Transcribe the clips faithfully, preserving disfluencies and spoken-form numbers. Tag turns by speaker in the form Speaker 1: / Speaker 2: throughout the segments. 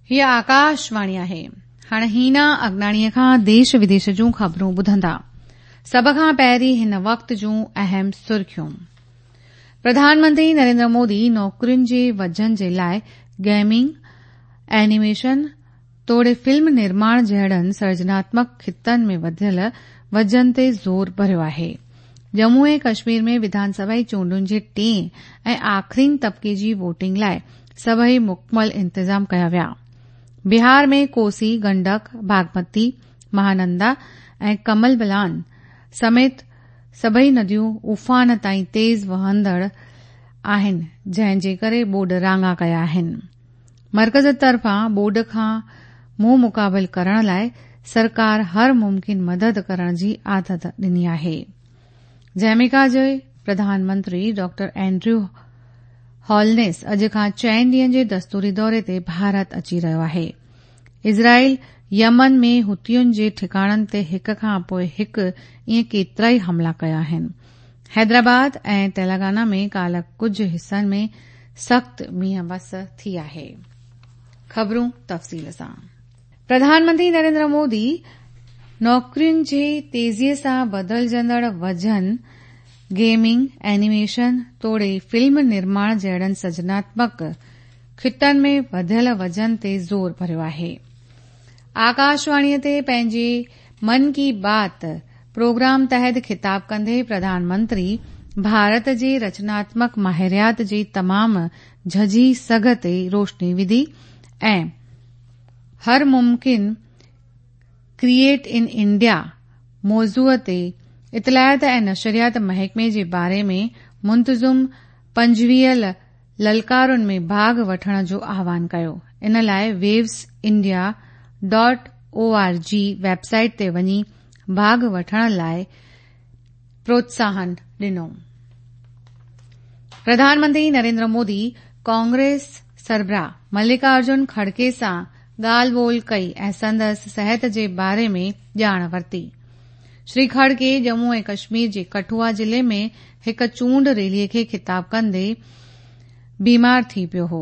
Speaker 1: हीअ आकाशवाणी आहे। हाणे हीना अगनाणीअ खां देश विदेश जूं ख़बरूं ॿुधंदा। सभ खां पहिरीं हिन वक़्त जूं अहम सुर्खियूं। प्रधानमंत्री नरेंद्र मोदी नौकरियुनि जे वजन जे लाइ गेमिंग, एनिमेशन तोड़े फिल्म निर्माण जहिड़नि सर्जनात्मक खितनि में वधियल वजन ते ज़ोर भरियो आहे। जम्मू ऐं कश्मीर में विधानसभा चूंडुनि जे टिएं ऐं आख़िरीन तबिके जी वोटिंग लाइ सभई मुकमल इंतज़ाम कया विया। बिहार में कोसी, गंडक, बागमती, महानंदा ऐं कमल बलान समेत सभई नदियूं उफान ताईं तेज़ वहंदड़ आहिनि, जंहिं जे करे ॿोॾ राङा कया आहिनि। मर्कज़ तरफ़ां ॿोॾ खां मुंहुं मुक़ाबिल करण लाइ सरकार हर मुमकिन मदद करण जी आदत ॾिनी आहे। जमैका जे प्रधानमंत्री डॉक्टर एंड्रयू हॉलनेस अॼु खां चइनि ॾींहंनि जे दस्तूरी दौरे ते भारत अची रहियो आहे। इज़राइल यमन में हुतियुनि जे ठिकाणनि ते हिक खां पोइ हिकु ईअं केतिराई हमला कया आहिनि। हैदराबाद ऐं तेलंगाना में काल्ह कुझु हिसनि में सख़्तु मींहुं वस थी आहे। ख़बरूं तफ़सील सां। प्रधानमंत्री नरेंद्र मोदी नौकरियुनि जे तेज़ीअ सां बदिलजंदड़ वजन, गेमिंग, एनिमेशन तोड़े फिल्म निर्माण जहिड़नि सर्जनात्मक खितनि में वधियल वजन ते ज़ोर भरियो आहे। आकाशवाणीअ ते पंहिंजे मन की बात प्रोग्राम तहत ख़िताब कंदे प्रधानमंत्री भारत जे रचनात्मक माहिरियात जी तमामु झझी सघ ते रोशनी विधी ऐं हर मुमकिन क्रिएट इन इंडिया मौज़ूअ ते इतलात ऐं नशरियात महकमे जे बारे में मुंतज़िम पंजवीह ललकारुनि में भाॻ वठण जो आह्वान कयो। इन लाइ Waves India dot O R G website ते वञी भाॻ वठण लाइ प्रोत्साहन ॾिनो। प्रधानमंत्री नरेंद्र मोदी कांग्रेस सरबराह मल्लिकार्जुन खड़गे सां ॻाल्हि ॿोल कई ऐं संदसि सिहत जे बारे में ॼाण वरिती। श्री खड़गे जम्मू ऐं कश्मीर जे कठुआ ज़िले में हिकु चूंड रैलीअ खे ख़िताब कंदे बीमार थी पियो हो।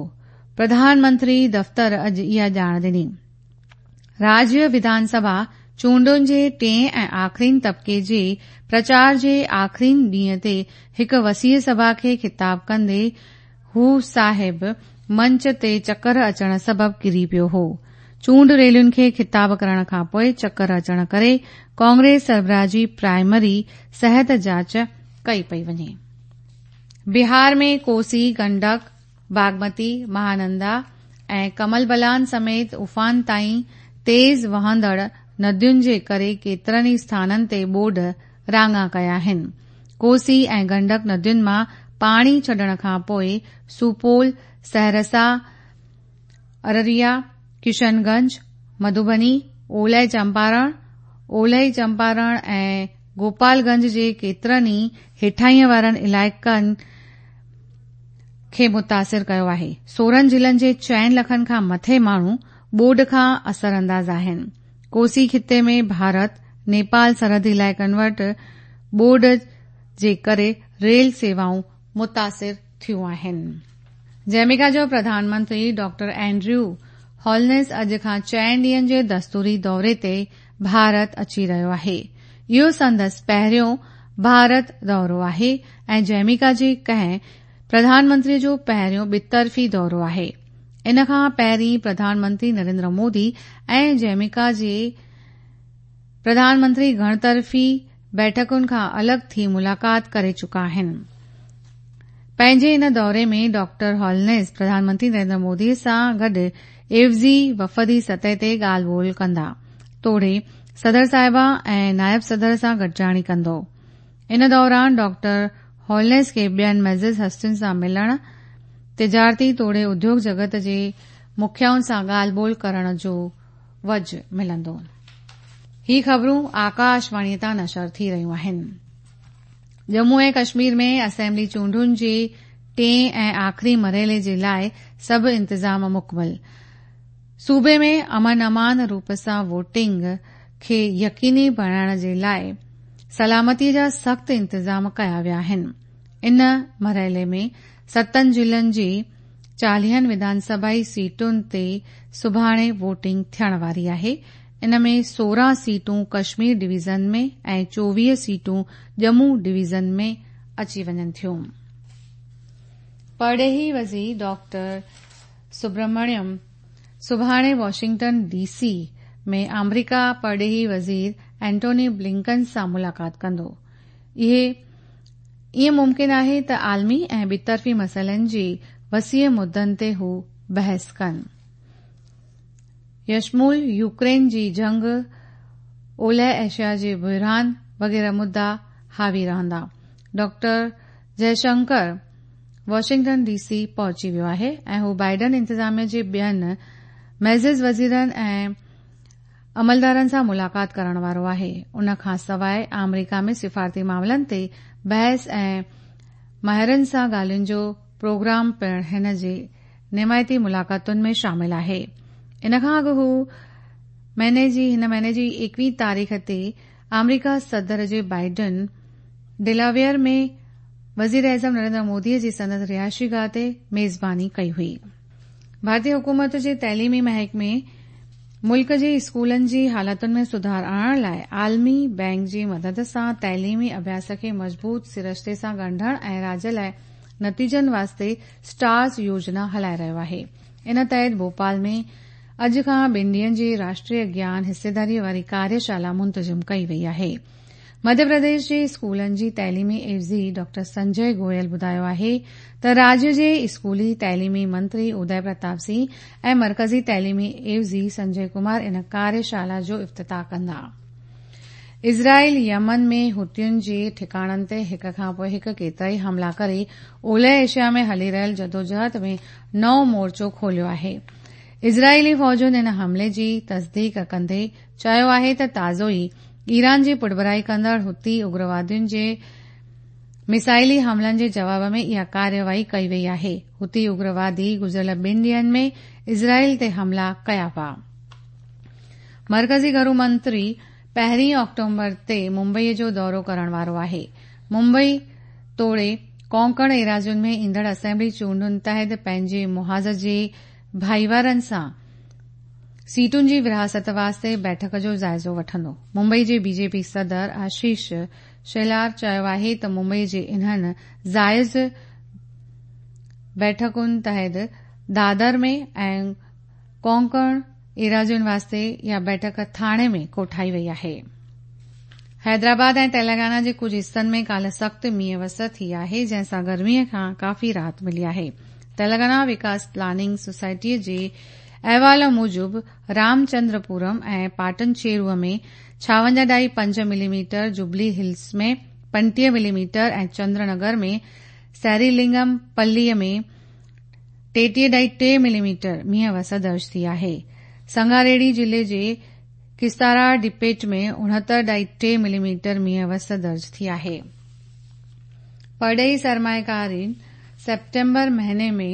Speaker 1: प्रधानमंत्री दफ़्तर अॼु इहा ॼाण ॾिनी। राज्य विधानसभा चूंडुनि जे टिएं ऐं आख़िरीन तबिके जे प्रचार जे आख़िरीन ॾींहं ते हिकु वसीअ सभा खे ख़िताब कंदे हू साहिब मंच ते चकर अचण सबबि किरी पियो हो। चूंड रैलियुनि खे ख़िताब करण खां पोइ चकर अचण करे कांग्रेस सरबराह जी प्राइमरी सिहत जांच कई पई वञे। बिहार में कोसी, गंडक, बागमती, महानंदा ऐं कमल बलान समेत उफान ताईं तेज़ वहंदड़ नदियुनि जे करे केतिरनि ई स्थाननि ते ॿोॾ राङा कया आहिनि। कोसी ऐं गंडक नदियुनि मां पाणी छॾण खां पोइ सुपौल, सहरसा, अररिया, किशनगंज, मधुबनी, ओलह चंपारण, ओलह चंपारण ऐं गोपालगंज जे केतिरनि ई हेठाईं वारनि इलाइक़नि खे मुतासिर कयो आहे। सोरहं ज़िलनि जे चइनि लखनि खां मथे माण्हू ॿोॾ खां असरअंदाज़ आहिनि। कोसी खिते में भारत नेपाल सरहदी इलाइक़नि वटि ॿोॾ जे करे रेल सेवाऊं मुतासिर थियूं आहिनि। जमैका जो प्रधानमंत्री डॉक्टर एंड्रयू हॉलनेस अॼु खां चइनि ॾींहंनि जे दस्तूरी दौरे ते भारत अची रहियो आहे। इहो संदसि पहिरियों भारत दौरो आहे ऐं जमैका जे कंहिं प्रधानमंत्रीअ जो पहिरियों ॿितरफ़ी दौरो आहे। इन खां पहिरीं प्रधानमंत्री नरेंद्र मोदी ऐं जमैका जे प्रधानमंत्री घणतरफ़ी बैठकुनि खां अलॻि थी मुलाक़ात करे चुका आहिनि। पंहिंजे इन दौरे में डॉक्टर हॉलनेस प्रधानमंत्री नरेंद्र मोदी सां गॾु एवज़ी वफ़दी सतह ते ॻाल्हि ॿोल कंदा तोड़े सदर साहिबा ऐं नायब सदर सां गॾिजाणी कंदो। इन दौरान डॉक्टर हॉलनेस खे ॿियनि मुअज़्ज़िज़ हस्तियुनि सां मिलण, तिजारती तोड़े उद्योग जगत जे मुखियाउनि सां ॻाल्हि ॿोल करण जो वजह मिलंदो। ही ख़बरूं आकाशवाणीअ तां नशर थी रहियूं आहिनि। जम्मू ऐं कश्मीर में असेंबली चूंडुनि जे टिएं ऐं आख़िरी मरहले जे लाइ सभु इंतज़ाम मुकमल। सूबे में अमन अमान रूप सां वोटिंग खे यकीनी बणाइण जे लाइ सलामतीअ जा सख़्तु इंतज़ाम कया विया आहिनि। इन मरहले में सतनि ज़िलनि जे چاليهن وڌانسڀائي سيٽن تي سڀاڻي ووٽنگ ٿيڻ واري آهي. ان ۾ سورهن سيٽون ڪشمير ڊويزن ۾ ۽ چوويهه سيٽون ڄمون ڊويزن ۾ اچي وڃن ٿيون. پرڏيهي وزير ڊاڪٽر سبرمڻيم سڀاڻي واشنگٽن ڊي سي ۾ آمريڪا پرڏيهي وزير اينٽوني بلنڪن سان ملاقات ڪندو. اهي ائين ممڪن آهي ته عالمي ۽ ٻطرفي مسئلن جي وسيع مدن تي هو بحث ڪن. يشمول يوڪرين جي جنگ، اولهه ايشيا جي بحران وغيره مدعا حاوي رهندا. ڊاڪٽر جئشنڪر واشنگٽن ڊي سي پهچي ويو آهي ۽ هو بائيڊن انتظاميه جي ٻين معزز وزيرن ۽ عملدارن سان ملاقات ڪرڻ وارو آهي. ان کان سواء آمريڪا ۾ سفارتي معاملن تي بحث ۽ ماهرن سان ڳالهين جو پروگرام پڻ هن جي نمائتي ملاقاتن ۾ شامل آهي. ان کان اڳ هو مهيني جي هن مهيني جي ايڪويهه تاريخ تي آمريڪا صدر جي بائيڊن ڊيلاويئر ۾ وزير اعظم نريندر مودي جي سندس رهائشي گاهه تي ميزباني ڪئي هئي. ڀارتي حڪومت جي تعليمي محڪمي ملڪ جي اسڪولن جي حالتن ۾ سڌار آڻڻ لاء عالمي بئنڪ جي مدد سان تعليمي اڀياس کي مضبوط سرشتي سان ڳنڍڻ ۽ راڄ لاء نتيجن واسطي اسٽارز يوجنا هلائي رهيو آهي. ان تحت ڀوپال ۾ اڄ کان ٻن ڏينهن جي راشٽريه گيان حصيداري واري ڪاريشالا منتظم ڪئي وئي آهي. مڌيه پرديش جي اسڪولن جي تعليمي عيوضي ڊاڪٽر سنجي گويل ٻڌايو آهي ته راجيه جي اسڪولي تعليمي منتري ادي پرتاپ سنگهه ۽ مرڪزي تعليمي عيوضي سنجي ڪمار ان ڪاريشالا جو افتتاح ڪندا. اسرائيل يمن ۾ حوثين جي ٺڪاڻن تي هڪ کان پوءِ هڪ ڪيترائي حملا ڪري اولهه ايشيا ۾ هلي رهيل جدوجهد ۾ نئون مورچو کوليو آهي. اسرائيلي فوجن ان حملي جي تصديق ڪندي چيو آهي ته تازو ئي ايران جي پٺڀرائي ڪندڙ حوثي اگروادين جي ميسائلي حملن جي جواب ۾ اها ڪارروائي ڪئي وئي آهي. حوثي اگروادي گذريل ٻن ڏينهن ۾ اسرائيل تي حملا ڪيا هئا. مرڪزي گهرو منتري پهرين آڪٽوبر تي ممبئي جو دورو ڪرڻ وارو آهي. ممبئي توڙي ڪونڪڻ ايراضين ۾ ايندڙ اسيمبلي چونڊن تحت پنهنجي محاذ جي ڀائيوارن سان سيٽن جي ورهاست واسطي بيٺڪ جو جائزو وٺندو. ممبئي جي بي جي پي صدر آشيش شيلار چيو آهي ته ممبئي جي انهن جائز بيٺڪن تحت دادر ۾ ۽ ڪونڪڻ ايراضين واسطي اها بيٺڪ ٿاڻي ۾ ڪوٺائي وئي آهي. حيدرآباد ۽ تيلنگانا جي ڪجهه حصن ۾ ڪالهه سخت مينهن وس ٿي آهي، جنهن سان گرمي کان ڪافي راحت ملي آهي. تيلنگانا وڪاس پلاننگ سوسائٽي جي احوال موجب رامچندرپورم ۽ پاٽنچيرو ۾ ڇاونجاهه ڏهائي پنج ملي ميٽر، جوبلي هلز ۾ پنٽيهه ملي ميٽر ۽ چندرنگر ۾ سيريلنگم پلي ۾ ٽيٽيهه ڏهائي ٽي ملي ميٽر مينهن وس درج ٿي آهي. سنگاريڊي ضلعي جي ڪستارا ڊپيٽ ۾ اڻهتر ڏهائي ٽي ملي ميٽر مينهن وس درج ٿي آهي. پرڏيهي سرمائيڪارن سيپٽمبر مهيني ۾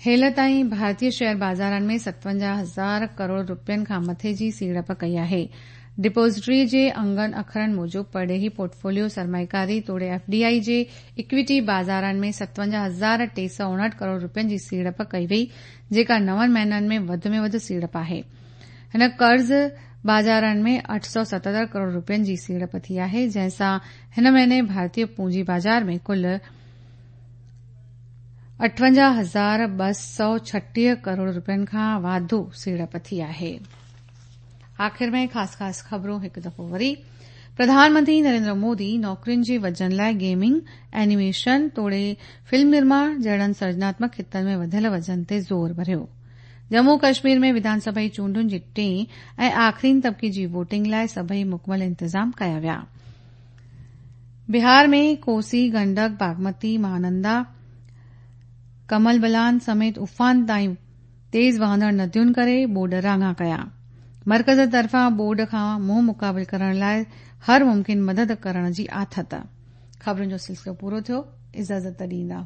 Speaker 1: هيل تائين ڀارتي شيئر بازارن ۾ ستونجاهه هزار ڪروڙ رپين کان مٿي جي سيڙپ ڪئي آهي. ڊپازٽري جي انگن اکرن موجب پرڏيهي پورٽفوليو سرمائيڪاري توڙي ايف ڊي I جي اڪويٽي بازارن ۾ ستونجاهه هزار ٽي سؤ اڻهٺ ڪروڙ رپين جي سيڙپ ڪئي وئي، جيڪا نون مهينن ۾ وڌ ۾ وڌ سيڙپ آهي. هن قرض بازارن ۾ اٺ سؤ ستهتر ڪروڙ رپين جي سيڙپ ٿي آهي، جنهن سان هن مهيني ڀارتي پونجي بازار ۾ ڪل اٺونجاهه هزار ٻه سؤ ڇٽيهه ڪروڙ رپين کان واڌو سيڙپ ٿي آهي. آخر ۾ خاص خاص خبرون هڪ دفعو وري. پرڌان منتري نريندر مودي نوڪرين جي وجهن لاءِ گيمنگ، اينيميشن توڙي فلم نرماڻ جهڙن سرجناتمڪ خطن ۾ وڌيل وجهن تي زور ڀريو. ڄمون ڪشمير ۾ وڌانسڀائي چونڊن جي ٽئين ۽ آخرين طبقي جي ووٽنگ لاءِ سڀئي مڪمل انتظام ڪيا ويا. بهار ۾ ڪوسي، گنڊڪ، باگمتي، مهانندا، ڪمل بلان سميت افان تائين تيز وهندڙ ندين ڪري ٻوڏ راڱا ڪيا. مرڪز طرفان ٻوڏ کان منهن مقابل ڪرڻ لاءِ هر ممڪن مدد ڪرڻ جي آٿت. خبرن جو سلسلو پورو ٿيو. اجازت ڏيندا.